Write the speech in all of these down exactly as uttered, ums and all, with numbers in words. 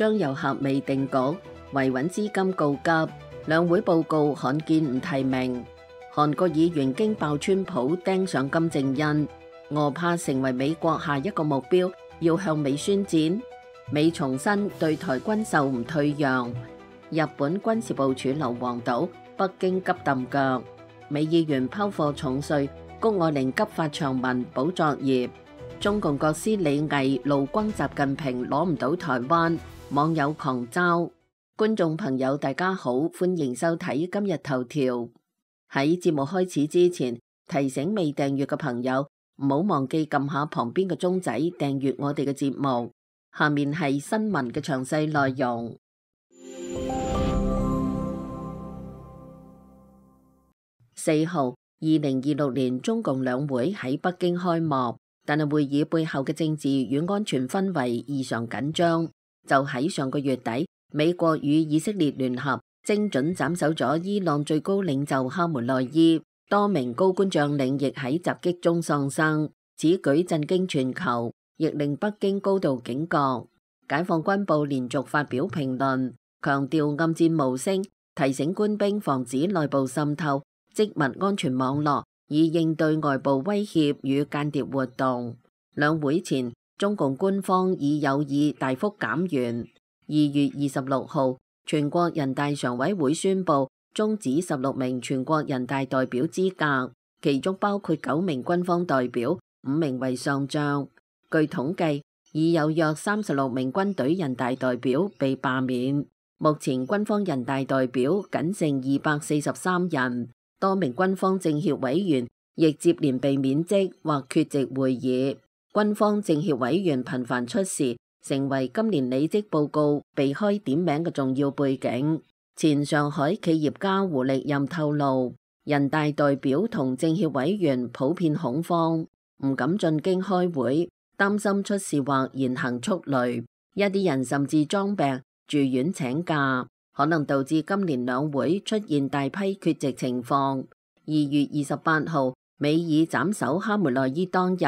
張又俠未定局，維穩資金告急。兩會報告罕見唔提名。韓國議員驚爆川普盯上金正恩，俄怕成為美國下一個目標，要向美宣戰。美重申對台軍售唔退讓。日本軍事部署硫磺島，北京急揼腳。美議員拋貨重稅，谷愛凌急發長文保作業。中共國師李毅怒轟習近平攞唔到台灣，網友狂嘲。觀眾朋友大家好，歡迎收睇今日頭條。喺節目開始之前，提醒未訂閱嘅朋友唔好忘記撳下旁邊嘅鐘仔訂閱我哋嘅節目。下面係新聞嘅詳細內容。四號，二零二六年中共兩會喺北京開幕，但係會議背後嘅政治與安全氛圍異常緊張。就喺上個月底，美國與以色列聯合精準斬首咗伊朗最高領袖哈梅內伊，多名高官將領亦喺襲擊中喪生。此舉震驚全球，亦令北京高度警覺。解放軍部連續發表評論，強調暗戰無聲，提醒官兵防止內部滲透，織密安全網絡，以應對外部威脅與間諜活動。兩會前，中共官方已有意大幅減員。二月二十六號，全國人大常委會宣布終止十六名全國人大代表資格，其中包括九名軍方代表，五名為上將。據統計，已有約三十六名軍隊人大代表被罷免。目前軍方人大代表僅剩二百四十三人。多名軍方政協委員亦接連被免職或缺席會議，軍方政協委員頻繁出事，成為今年履職報告避開點名嘅重要背景。前上海企業家胡力任透露，人大代表同政協委員普遍恐慌，唔敢進京開會，擔心出事或言行畜類，一啲人甚至裝病住院請假，可能導致今年兩會出現大批缺席情況。二月二十八號，美以斬首哈梅內伊當日，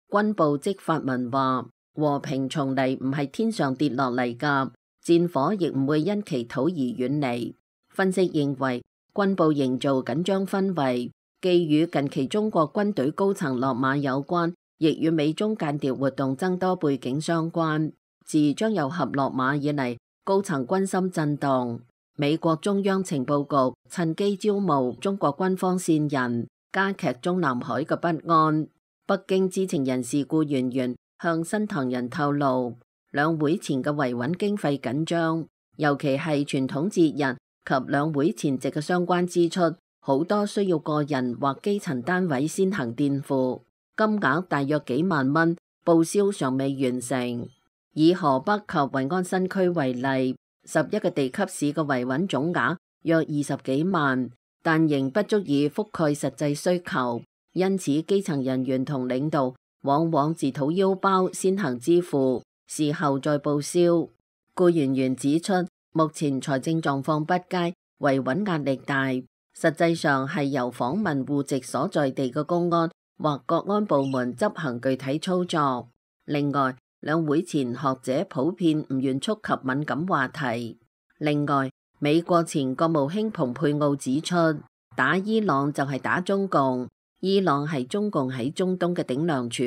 軍部即發文話：和平從嚟唔係天上跌落嚟㗎，戰火亦唔會因祈禱而遠離。分析認為，軍部營造緊張氛圍，既與近期中國軍隊高層落馬有關，亦與美中間諜活動增多背景相關。自張又俠落馬以嚟，高層軍心震動，美國中央情報局趁機招募中國軍方線人，加劇中南海嘅不安。北京知情人士顧媛媛向新唐人透露，兩會前嘅維穩經費緊張，尤其係傳統節日及兩會前夕嘅相關支出，好多需要個人或基層單位先行墊付，金額大約幾萬蚊，報銷尚未完成。以河北及惠安新區為例，十一個地級市嘅維穩總額約二十幾萬，但仍不足以覆蓋實際需求，因此基層人員同領導往往自掏腰包先行支付，事後再報銷。顧媛媛指出，目前財政狀況不佳，維穩壓力大，實際上係由訪問戶籍所在地嘅公安或國安部門執行具體操作。另外，兩會前學者普遍唔願觸及敏感話題。另外，美國前國務卿蓬佩奧指出，打伊朗就係打中共，伊朗係中共喺中東嘅頂梁柱，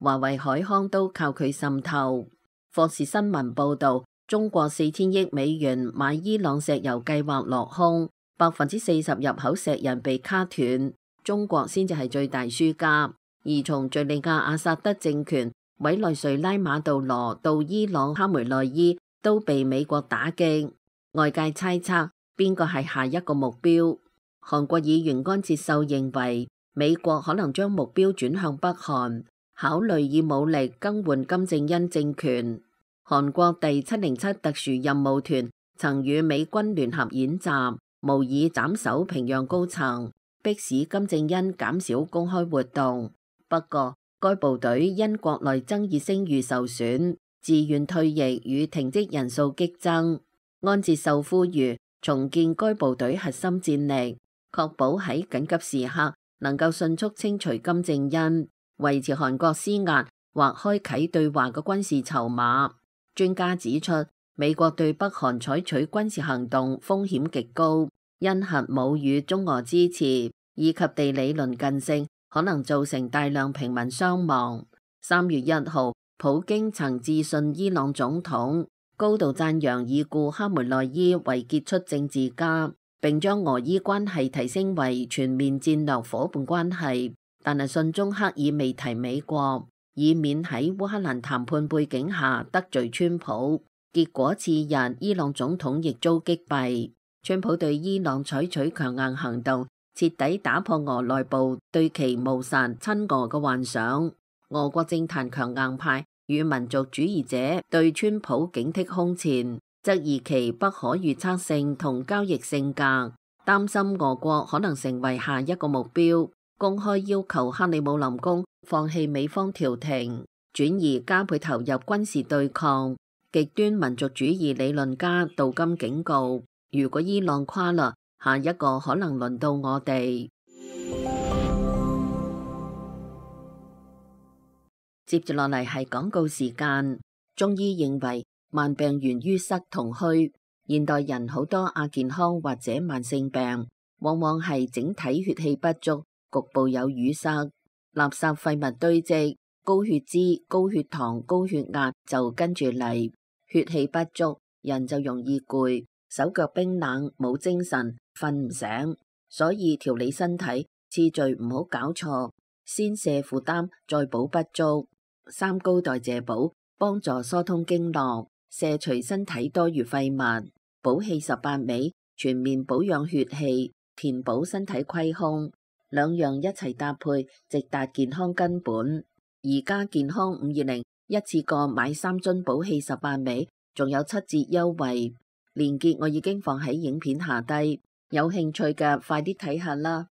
華為海康都靠佢滲透。霍士新聞報道，中國四千億美元買伊朗石油計劃落空，百分之四十入口石油被卡斷，中國先至係最大輸家。而從敘利亞阿薩德政權委內瑞拉馬杜羅到伊朗哈梅內伊都被美國打擊，外界猜測邊個係下一個目標。韓國議員安哲秀認為，美國可能將目標轉向北韓，考慮以武力更換金正恩政權。韓國第七零七特殊任務團曾與美軍聯合演習，模擬斬首平壤高層，迫使金正恩減少公開活動。不過，該部隊因國內爭議聲譽受損，自願退役與停職人數激增。安哲秀呼籲重建該部隊核心戰力，確保喺緊急時刻能夠迅速清除金正恩，維持韓國施壓或開啟對話嘅軍事籌碼。專家指出，美國對北韓採取軍事行動風險極高，因核武與中俄支持以及地理鄰近性，可能造成大量平民傷亡。三月一號，普京曾致信伊朗總統，高度讚揚已故哈梅內伊為傑出政治家，並將俄伊關係提升為全面戰略夥伴關係。但係信中刻意未提美國，以免喺烏克蘭談判背景下得罪川普。結果次日，伊朗總統亦遭擊斃。川普對伊朗採取強硬行動，徹底打破俄內部對其謀殺親俄嘅幻想。俄國政壇強硬派與民族主義者對川普警惕空前，質疑其不可預測性同交易性格，擔心俄國可能成為下一個目標，公開要求克里姆林宮放棄美方調停，轉而加倍投入軍事對抗。極端民族主義理論家杜金警告，如果伊朗垮啦，下一個可能輪到我哋。接住落嚟係廣告時間。中醫認為慢病源於塞同虛，現代人好多亞健康或者慢性病，往往係整體血氣不足，局部有淤塞，垃圾廢物堆積，高血脂、高血糖、高血壓就跟住嚟。血氣不足，人就容易攰，手腳冰冷，冇精神，瞓唔醒。所以調理身體次序唔好搞錯，先瀉負擔，再補不足。三高代謝補幫助疏通經絡，瀉除身體多餘廢物。補氣十八味全面保養血氣，填補身體虧空，兩樣一齊搭配，直達健康根本。而家健康五二零一次過買三樽補氣十八味，仲有七折優惠，鏈接我已經放喺影片下低，有興趣嘅快啲睇下啦。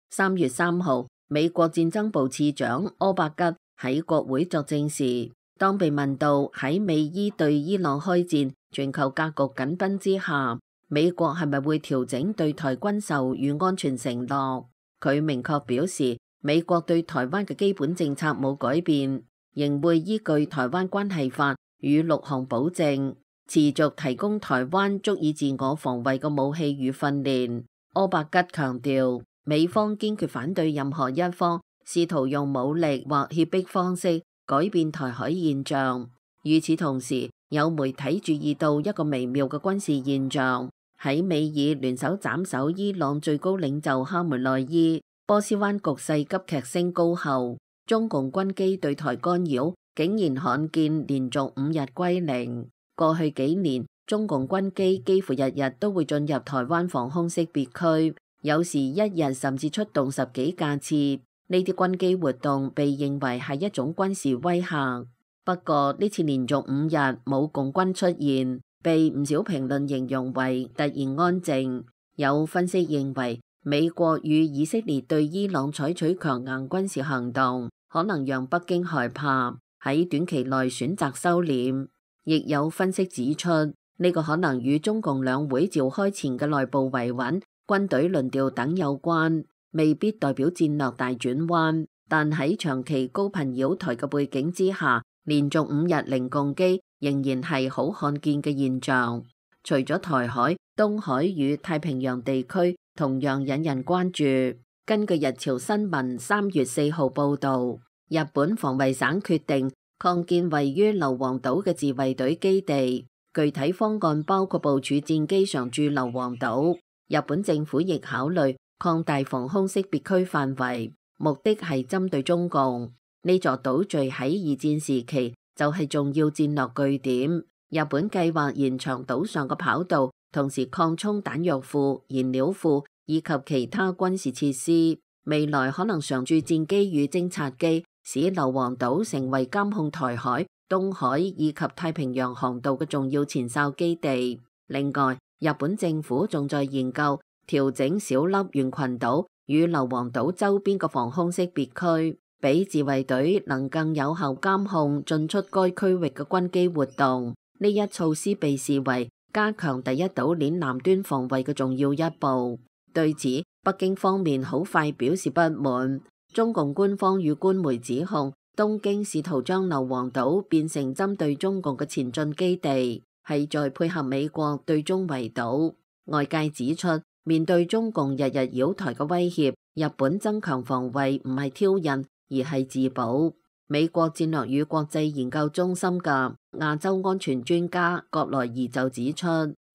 三月三號，美國戰爭部次長柯伯吉喺國會作證時，當被問到喺美伊對伊朗開戰、全球格局緊繃之下，美國係咪會調整對台軍售與安全承諾？佢明確表示，美國對台灣嘅基本政策冇改變，仍會依據台灣關係法與六項保證，持續提供台灣足以自我防衛嘅武器與訓練。柯伯吉強調，美方堅決反對任何一方試圖用武力或脅迫方式改變台海現狀。與此同時，有媒體注意到一個微妙嘅軍事現象。喺美以聯手斬首伊朗最高領袖哈梅內伊，波斯灣局勢急劇升高後，中共軍機對台干擾竟然罕見連續五日歸零。過去幾年，中共軍機幾乎日日都會進入台灣防空識別區，有時一日甚至出動十幾架次。呢啲軍機活動被認為係一種軍事威嚇。不過呢次連續五日冇共軍出現，被唔少評論形容為突然安靜。有分析認為，美國與以色列對伊朗採取強硬軍事行動，可能讓北京害怕，喺短期內選擇收斂。亦有分析指出，呢個可能與中共兩會召開前嘅內部維穩、軍隊輪調等有關，未必代表戰略大轉彎。但喺長期高頻擾台嘅背景之下，連續五日零共機仍然係好罕見嘅現象。除咗台海、東海與太平洋地區同樣引人關注。根據日朝新聞三月四號報導，日本防衛省決定擴建位於硫磺島嘅自衛隊基地，具體方案包括部署戰機常駐硫磺島。日本政府亦考慮擴大防空識別區範圍，目的係針對中共。呢座島嶼喺二戰時期就係重要戰略據點。日本計劃延長島上嘅跑道，同時擴充彈藥庫、燃料庫以及其他軍事設施。未來可能常駐戰機與偵察機，使硫磺島成為監控台海、東海以及太平洋航道嘅重要前哨基地。另外，日本政府仲在研究調整小笠原群島與硫磺島周邊嘅防空識別區，俾自衛隊能更有效監控進出該區域嘅軍機活動。呢一措施被視為加強第一島鏈南端防衛嘅重要一步。對此，北京方面好快表示不滿。中共官方與官媒指控東京試圖將硫磺島變成針對中共嘅前進基地，係在配合美國對中圍堵。外界指出，面對中共日日擾台嘅威脅，日本增強防衛唔係挑釁，而係自保。美國戰略與國際研究中心嘅亞洲安全專家葛萊儀就指出，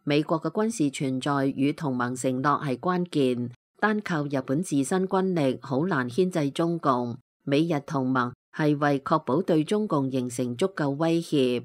美國嘅軍事存在與同盟承諾係關鍵，單靠日本自身軍力好難牽制中共。美日同盟係為確保對中共形成足夠威脅。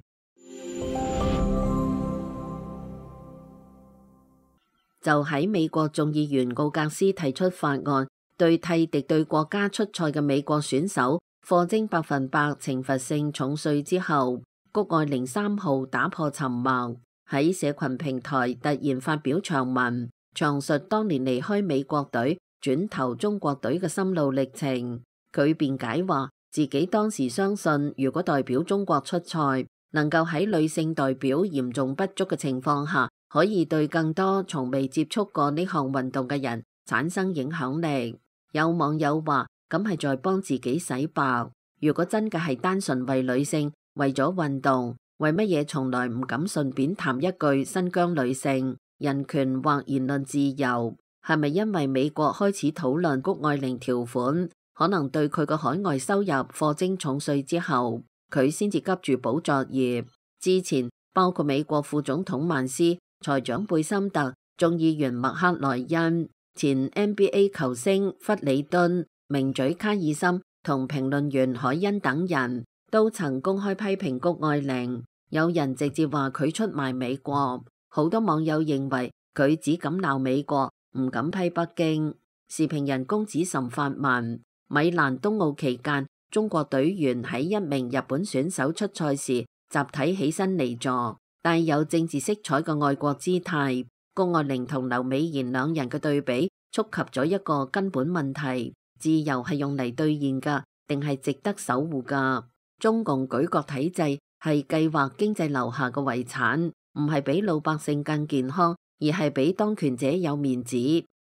就喺美國眾議員奧格斯提出法案，對替敵對國家出賽嘅美國選手課徵百分百懲罰性重稅之後，谷愛凌三號打破沉默，喺社群平台突然發表長文，詳述當年離開美國隊轉投中國隊嘅心路歷程。佢辯解話，自己當時相信，如果代表中國出賽，能夠喺女性代表嚴重不足嘅情況下，可以對更多從未接觸過呢項運動嘅人產生影響力。有網友話，咁係在幫自己洗白。如果真嘅係單純為女性，為咗運動，為乜嘢從來唔敢順便談一句新疆女性人權或言論自由？係咪因為美國開始討論谷愛凌條款，可能對佢個海外收入課徵重稅之後，佢先至急住補作業？之前包括美國副總統曼斯、財長貝森特、眾議員麥克萊恩、前 N B A 球星弗里敦、名嘴卡爾森同評論員海恩等人都曾公開批評谷愛凌，有人直接話佢出賣美國。好多網友認為佢只敢鬧美國，唔敢批北京。時評人公子岑發文：米蘭冬奧期間，中國隊員喺一名日本選手出賽時集體起身離座，帶有政治色彩嘅愛國姿態。谷愛凌同劉美賢兩人嘅對比觸及咗一個根本問題：自由係用嚟兌現噶，定係值得守護噶？中共舉國體制係計劃經濟留下嘅遺產，唔係比老百姓更健康，而係比當權者有面子。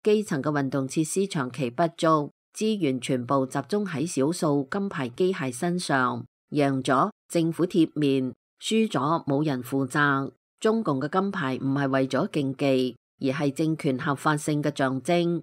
基層嘅運動設施長期不足，資源全部集中喺少數金牌機械身上，贏咗政府貼面，輸咗冇人負責。中共嘅金牌唔係為咗競技，而係政權合法性嘅象徵。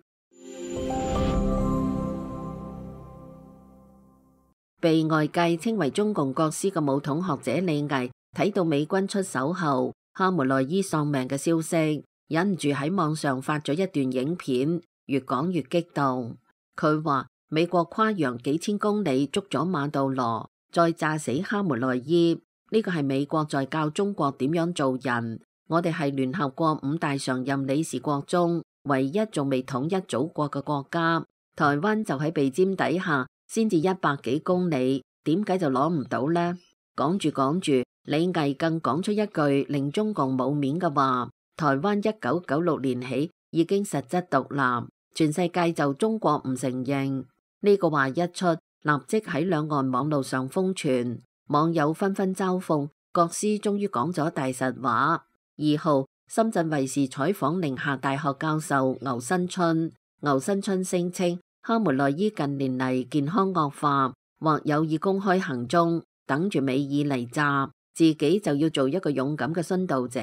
被外界稱為中共國師嘅武統學者李毅睇到美軍出手後哈梅內伊喪命嘅消息，忍唔住喺網上發咗一段影片，越講越激動。佢話美國跨洋幾千公里捉咗馬杜羅，再炸死哈梅內伊，呢個係美國在教中國點樣做人。我哋係聯合國五大常任理事國中唯一仲未統一祖國嘅國家，台灣就喺鼻尖底下，先至一百幾公里，點解就攞唔到呢？講住講住，李毅更講出一句令中共冇面嘅話：台灣一九九六年起已經實質獨立，全世界就中國唔承認。呢個話一出，立即喺兩岸網路上瘋傳，網友紛紛嘲諷國師終於講咗大實話。二號，深圳衛視採訪寧夏大學教授牛新春，牛新春聲稱哈梅內伊近年嚟健康惡化，或有意公開行蹤，等住美爾嚟炸，自己就要做一個勇敢嘅殉道者，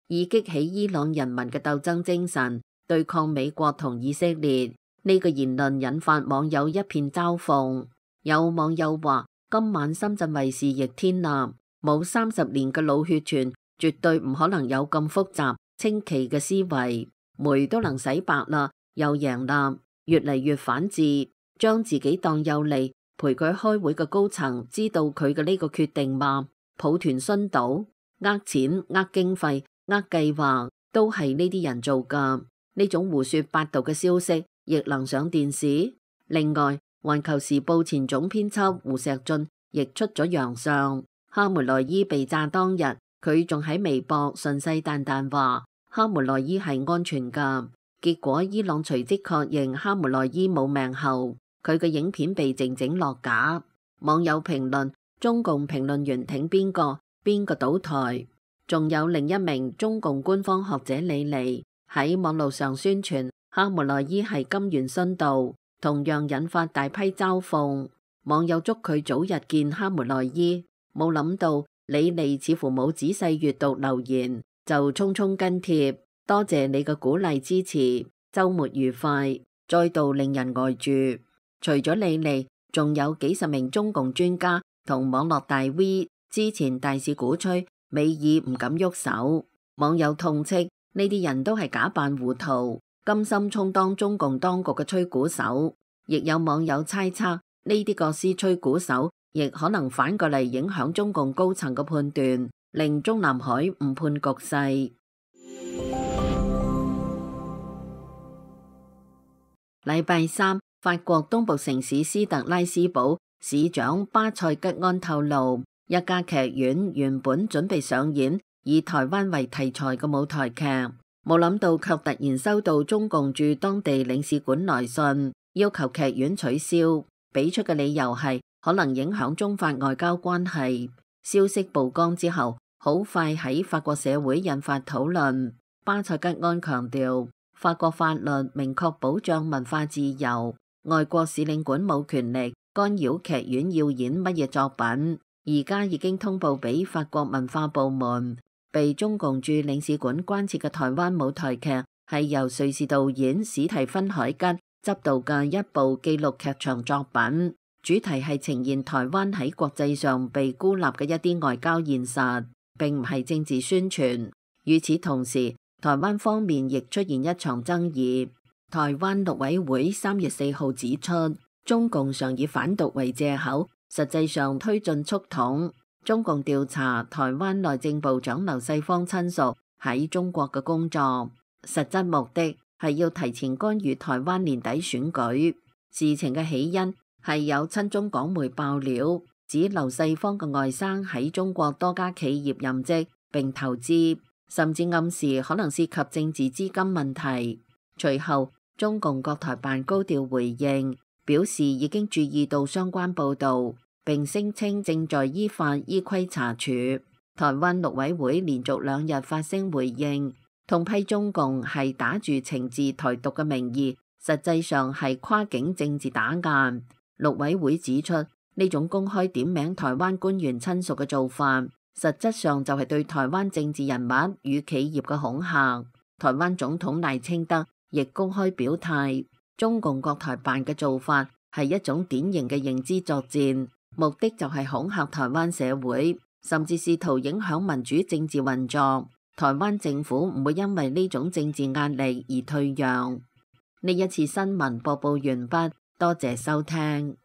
以激起伊朗人民嘅鬥爭精神，對抗美國同以色列。呢個言論引發網友一片嘲諷。有網友話：今晚深圳衛視逆天啦，冇三十年嘅腦血栓，絕對唔可能有咁複雜清奇嘅思維，煤都能洗白啦，又贏啦，越嚟越反智，將自己當有利陪佢開會嘅高層知道佢嘅呢個決定嗎？抱團殉道，呃錢、呃經費、呃計劃，都係呢啲人做噶。呢種胡說八道嘅消息亦能上電視。另外，環球時報前總編輯胡錫進亦出咗洋相，哈梅內伊被炸當日，佢仲喺微博信誓旦旦話哈梅內伊係安全噶。結果伊朗隨即確認哈梅內伊冇命後，佢嘅影片被靜靜落架。網友評論：中共評論員挺邊個，邊個倒台。仲有另一名中共官方學者李尼喺網絡上宣傳哈梅內伊係金元殉道，同樣引發大批嘲諷。網友祝佢早日見哈梅內伊。冇諗到李利似乎冇仔細閱讀留言，就匆匆跟帖，多謝你嘅鼓勵支持，週末愉快，再度令人呆住。除咗李利，仲有幾十名中共專家同網絡大 V 之前大肆鼓吹美爾唔敢喐手，網友痛斥呢啲人都係假扮糊塗，甘心充當中共當局嘅吹鼓手。亦有網友猜測呢啲各司吹鼓手亦可能反過嚟影響中共高層嘅判斷，令中南海誤判局勢。禮拜三，法國東部城市斯特拉斯堡市長巴塞吉安透露，一家劇院原本準備上演以台灣為題材嘅舞台劇，冇諗到卻突然收到中共駐當地領事館來信，要求劇院取消，俾出嘅理由係可能影響中法外交關係。消息曝光之後，好快喺法國社會引發討論。巴塞吉安強調，法國法律明確保障文化自由，外國使領館冇權力干擾劇院要演乜嘢作品。而家已經通報俾法國文化部門，被中共駐領事館關切嘅台灣舞台劇係由瑞士導演史蒂芬海吉執導嘅一部紀錄劇場作品，主題係呈現台灣喺國際上被孤立嘅一啲外交現實，並唔係政治宣傳。與此同時，台灣方面亦出現一場爭議。台灣陸委會三月四號指出，中共常以反獨為借口，實際上推進促統。中共調查台灣內政部長劉世芳親屬喺中國嘅工作，實質目的係要提前干預台灣年底選舉。事情嘅起因係有親中港媒爆料，指劉世芳嘅外甥喺中國多家企業任職並投資，甚至暗示可能涉及政治資金問題。隨後，中共國台辦高調回應，表示已經注意到相關報導，並聲稱正在依法依規查處。台灣陸委會連續兩日發聲回應，痛批中共係打住懲治台獨嘅名義，實際上係跨境政治打壓。陸委會指出，呢種公開點名台灣官員親屬嘅做法，實質上就係對台灣政治人物與企業嘅恐嚇。台灣總統賴清德亦公開表態，中共國台辦嘅做法係一種典型嘅認知作戰，目的就係恐嚇台灣社會，甚至試圖影響民主政治運作。台灣政府唔會因為呢種政治壓力而退讓。呢一次新聞播報完畢，多謝收聽。